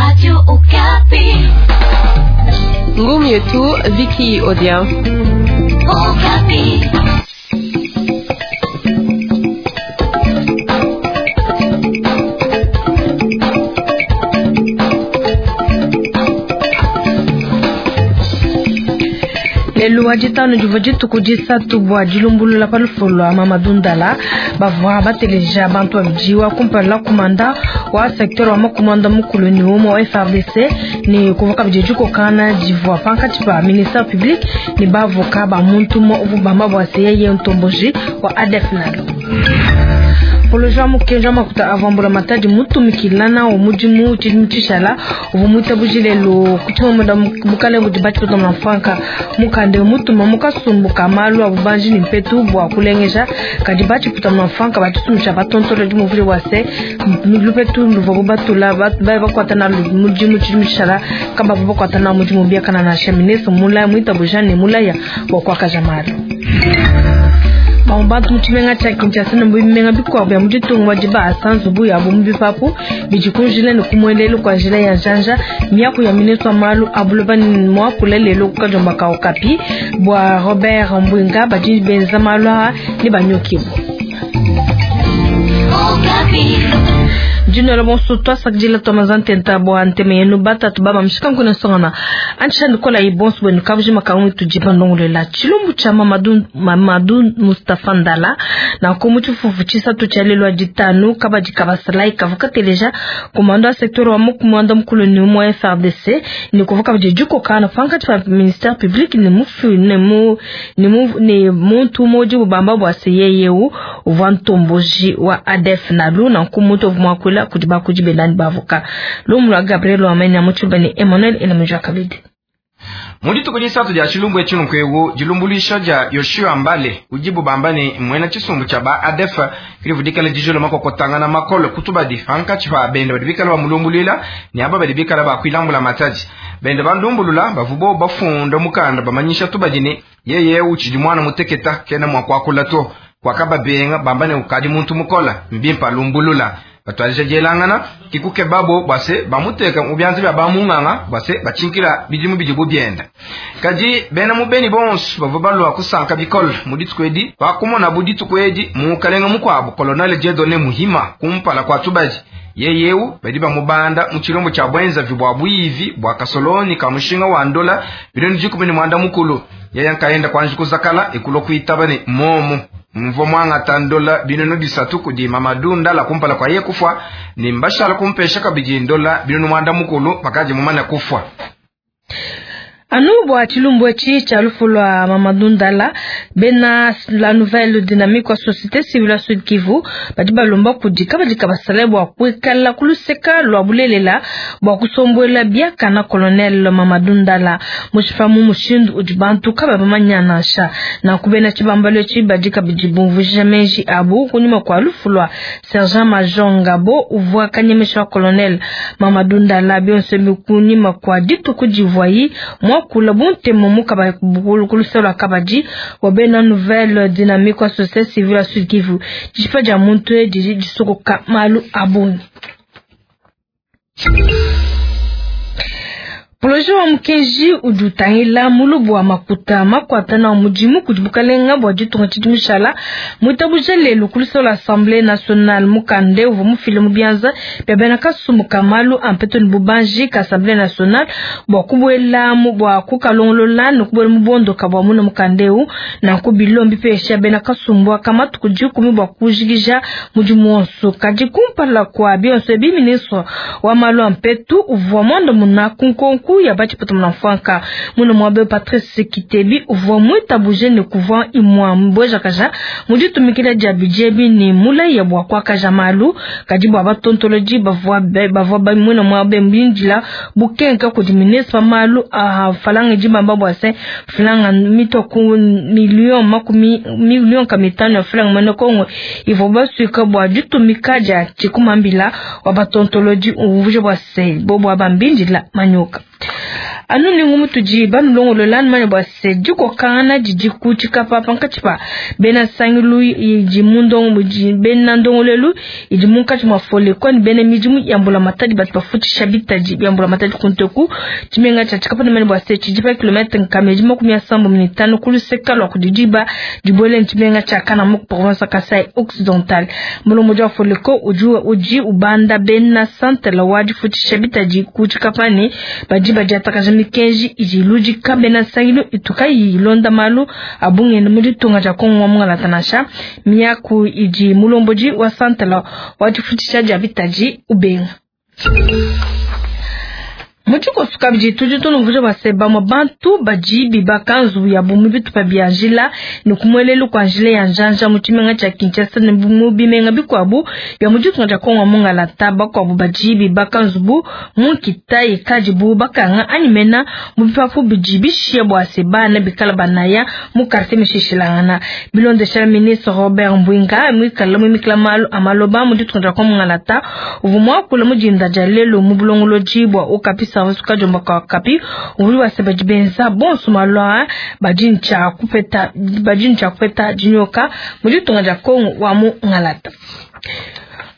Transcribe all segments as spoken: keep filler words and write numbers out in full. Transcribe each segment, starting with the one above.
Radio Okapi. Ngumu yetu Vicky Odia. Okapi. Lelu wa ditanu divua dituku disatu bua dilumbulula pa lufu lua Mamadou Ndala bavua bateleja bantu babidi wa kumpala kumanda wa secteur wa makumanda mukulu ni umwe wa F R D C ni kuvua kabidi dikokana divua pankatshi pa ministère public ni bavoka ba muntu umue uvua bamba bua se yeye ntomboji wa A D F nalo. Poloja mukenji wa makuta avua mbulamatadi mutumikilana wa mudimu tshidimu tshishala uvua muitabuje lelu ku tshimue bukale budi batshipeta mfranka mukande mutuma mukasumbu ka malu a bubanji ni mpetu bua kulengeja kadi batshipeta mfranka batshitumisha batontolo dimuvule wa se lupetu luvua bubatula bakwata na mudimu tshidimu tshishala kamba bakwata na mudimu biakana na ministre mulaya muitabuja ne mulaya bua kuakaja malu. Bantu mu tshimenga tshia Kinshasa ne bimenga bikuabu bia mu ditunga badi baasa nzubu yabu mu bipapu bidi ku njila ne ku muelelu kua njila ya njanja miaku ya ministre wa malu a buloba ne muakula lelo ku kadiomba ka Okapi bua Robert Mbwinga badi benza malu aa ne banyokibua. Jino bonso twasakidila twamazantenta bua nteme yenu batatu baba mshika nkuna songana antsha nikola ibonso bwenu kabujima kamwe tujipa ndongolela tshilumbu tshia Mamadou Mamadou Mustafa Ndala na ko tshifufu tshisatu tshia lelo ditanu kabadi kabasalai kavuka teleja komando wa secteur wa mukumanda mukulu ni umwe F R D C ni kuvuka bidi dikokana pankatshi pa ministère public ne mufu ne mu ne mu ne muntu moji bubamba bua se yeyeu uvua ntomboji wa A D F nalu na nkumuntu mwakula kudi bakudi benani bavoka lumu lwa Gabriel Wamenya muchubani Emmanuel Elamujwa Kabidi. Mu dituku disatu dia tshilumbu etshi nkwegu dilumbulisha dia Yoshua Mbale udibu bamba ne mwena tshisumbu tshia ba A D F kilivudikala dijolo makokotangana makolo kutubadi pankatshi pa bende badi bikala bamulumbuluila ne aba badi bikala bakuilambula matadi bende bandumbulula bavubo bafunda mukanda bamanyisha tubadi ne yeye utshidi mwana muteketa kena mwa kuakula to kwakababenga bamba ne ukadi muntu mukola mbimpa lumbulula batwalija dielangana kikuke babo bwase bamuteka mu byanza bya bamunganga bwase bachinkila bidimu bidibu byenda kadi bena mubeni bonso bavua balwa kusanka bikole mu dituku edi bakumona bu dituku edi mukalenga mukuabu colonel Dieudonné Muhima kumpala kwa tubadi yeyeu badi bamubanda mu tshilombo tshia bwenza vibwa buivi bwa kasoloni ka mushinga wa ndola bilioni dikumi ne mwanda mukulu yeye nkaenda kwanji kuzakala ekulo kuitaba ne momo mvo mwangata ndola binunu bisatu kudi Mamadou Ndala kumpala kwa ye kufwa ni mbashala kumpesha kabidi ndola binunu mwanda mukulu pakaji mumana kufwa. Anu bua tshilumbu etshi tshia lufu lua Mamadou Ndala bena la nouvelle dynamique wa société civile ya Sud Kivu badi balomba kudi kabadi kabasala bua kuikala kuluseka lua bulelela bua kusombuela biakana colonel Mamadou Ndala mushipa mu mushindu udi bantu kaba bamanya nansha na kubena tshibambalo etshi badi kabidi bumvuija meji abu kunyuma kua lufu lua sergent major Ngabo uvua kanyemesha wa colonel Mamadou Ndala bionso bikunyima kua dituku divuayi kula buntemo mukaba kuluselo kabadi wa bena nouvelle dynamique wa société civile ya Sud Kivu dishipa dia muntu edi disokoka malu abungi. Polojo wa mukenji udi utangila mulubu wa makuta makwata na mudimu kudi bukalenga bua ditunga tshidimu tshishala muitabuja lelu ku luselo Assemblée nationale mukande uvua mufile mu bianza bia bena kasumbu ka malu a mpeto ne bubanji ka Assemblée nationale bua kubuela mu bua kukalongolola ne kubuela mu bondoka bua muna mukande eu nanku bilombi pesha bena kasumbu aka matuku dikumi bua kujikija mudimu wonso kadi kumpala kua bionso ebi ministre wa malu a mpetu uvua mwandamuna ku nkonko ya batshipeta muna mfranka muna mwabe Patrice Kitebi uvua muitabuje ne kuvua imwa mbwejakaja muditumikila dia budget bi ne mulaya bua kuakaja malu kadi bua batontoloji bavua bavua muna mwabe mbindila bukenka kudi ministre wa malu a falanga dibamba bua se falanga mitoku million makumi million kamitano ya falanga mwene Kongo ivua basuika bua ditumika dia tshikumambila wa batontoloji uvuje bua se bo bua bambindila manyoka. Anu ni ngumu tudi banulongolola manya bua se dikokangana didi ku Tshikapa pankatshi pa bena nsangilu idi mu ndongo bena ndongolelu idi munkatshi mua Foleko ne bena midimu ya mbulamatadi batu bafutshisha bitadi bia mbulamatadi ku nteku. Tshimenga tshia Tshikapa ne manya bua se tshidi pa kilometre nkama idi makumi asambo ne mitanu ku luseka lua kudi diba dibuele tshimenga tshia Kananga mu province Kasai Occidental. Mulombodi wa Foleko udi udi ubanda bena santela wa difutshisha bitadi ku Tshikapa ne badi badiatakaja mikenji idi iludika bena nsangilu itukayi ilonda malu a bungenda mu ditunga dia Kongo wa mungalata nansha miaku idi mulombodi wa santela wa difutshisha dia bitadi ubenga. Mutshikoso kabidi tudi tunumvuja bua se bamue bantu badi bibaka nzubu yabu mu bitupa bia njila ne ku muelelu kua njila ya njanja mu tshimenga tshia Kinshasa ne mu bimenga bikuabu bia mu ditunga dia Kongo wa mungalata. Bakuabu badi bibaka nzubu mu nkita ikadibu bakanga anyi mena mu bipapu bidi bishiya bua se bana bikala banaya mu quartier mishishilangana. Bilondeshela ministre Robert Mbwinga muikala muimikila malu a maloba mu ditunga dia Kongo mungalata uvua muakula mu dinda dia lelu mu bulongolodi bua Okapi Service kajomba ka Okapi uvua bua se badi benza bonso malu badi ntshia kupeta badi ntshia kupeta dinyoka mu ditunga dia Kongo wa mungalata.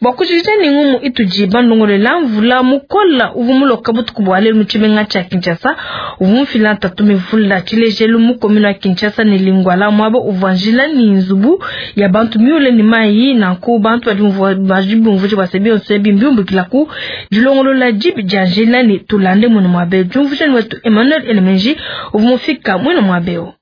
Bua kujikija ne ngumu itudi bandongolela mvula mukola uvua muloka butuku bua lelu mu tshimenga tshia Kinshasa uvua mufila ntatu mivula tshilejelu mu commune wa Kinshasa ne Lingwala muaba uvua njila ne nzubu ya bantu miule ne mayi. Nanku bantu badi badi bumvuja bua se bionso ebi mbiumbukila ku dilongolola dibi dia njila ne tulande muenu muabe. Diumvuja ne wetu Emmanuel Elemenji uvua mufika muenu muabeo.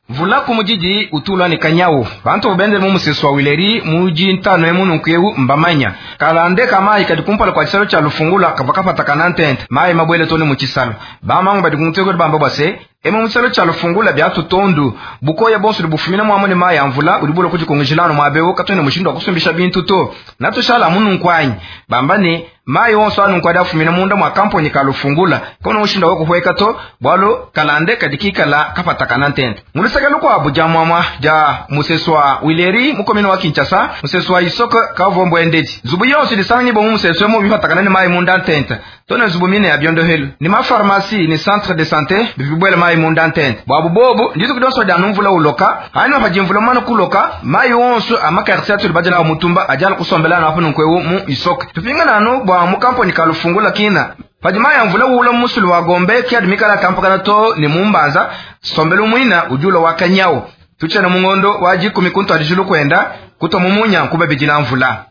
Mvula kumujiji utulwa ne kanyawu bantu bende mu musesu wa Wileri muji ntano emu nunkuyewu mbamanya kalande kamayi kadi kumpala kwa chisalo cha lufungula kava kapata kana ntente mayi mabwele tone mu chisalo bamangu badi kumuteko bamba bwase emu muchisalo cha lufungula byatu tondu bukoya bonso bufumina mwamone mayi amvula ulibula kujikongejilano mwabewo katone mushindo akusumbisha bintu to natushala mununkwanyi bamba ne mayi wonso anunkwa afumina munda mwa kamponi kalufungula kono mushindo wakuhweka to bwalo kalande kadikikala kapata kana ntente mulusaka lukwabu ja mwamwa ja musesu wa Wileri mukomino wa Kinshasa musesu wa Isoko kavombo endeti zubu yonso disangi bo musesu emu bipatakana ne mayi munda ntente tone zubu mine ya biondohelu ni ma pharmacie ni centre de santé bibwele mayi munda ntente bwabu bobu nditu kudonso da numvula uloka hani pajimvula mwana kuloka mayi wonso amakartier atuli bajala mutumba ajala kusombela na hapo nkwewu mu Isoko tupingana no bwa mukamponi kalufungula kina pajima ya mvula ula musulu wa Gombe kiadimikala kampakana to ni mumbanza sombelu mwina ujulo wa kanyawo tuchana mungondo waji kumikuntu adijulu kwenda kuto mumunya kubabijila mvula.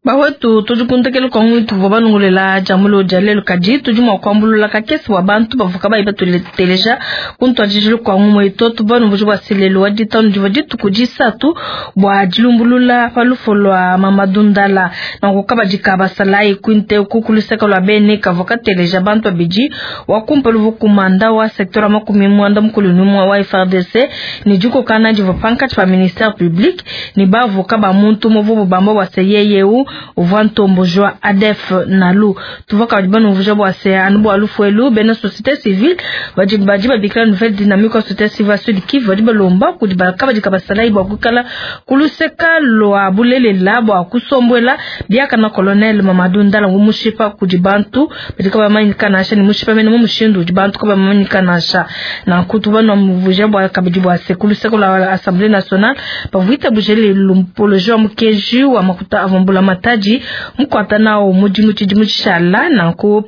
Bawetu tujikuntekele kwa ngwitu vwa banungulela jamulo jalelo kadi tudi mwa kuambulula kakesi wa bantu bavuka bayi batuleteleja kuntu ajijulu kwa ngumwe itoto banu buju bwa selelo wa ditanu diva dituku disatu bwa dilumbulula palufo lwa Mamadou Ndala na kukabadika basalayi kuinte kukuluseka lwa bene kavua kateleja bantu babidi wakumpa luvu kumanda wa sektora makumi mwanda mukulu numwa wa F R D C ni dikokana diva pankatshi pa ministère public ni bavuka ba muntu muvubu bamba bwa seyeyeu uvua ntombojwa A D F nalu tuvoka badi vuja bwa se anu bwa lufuelu bena société civile badi badi babikila nouvelle dynamique wa société civile Sud Kivu badi balomba kudi bakabadi kabasalayi bwa kukala kuluseka lwa bulelela bwa kusombwela biaka na colonel Mamadou Ndala ngumushipa kudi bantu badi kabamanyika nasha ni mushipa mene mumushindu udi bantu kabamanyika nasha na kutuba no muvuja bwa kabidi bwa se kuluseka lwa Assemblée nationale bavuita bujele lumpolojo mukeji wa makuta avumbula mataji mukwata nao mudimu tshidimu tshishala nanku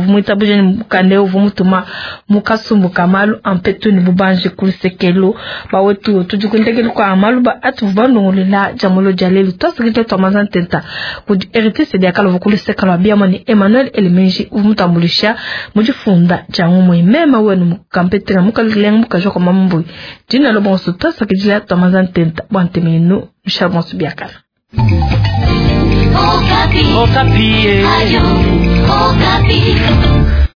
mwita bujeni mukande uvu mutuma mukasumbu kamalu ampetu ni bubanje kulusekelo bawetu tudikundekelu kwa amalu ba atu bandongolela jamulo jalelu twasikite twamaza ntenta kudi R T C diakala vukuluseka lwa biamwa ni Emmanuel Elemenji uvu mutambulisha mujifunda jangumwe mema wenu mukampetela mukalenga mukajwa kwa mamambui dina lobonso twasakidila twamaza ntenta bwantemenu mshabonso biakala. Okapi. Okapi. Ayo, Okapi.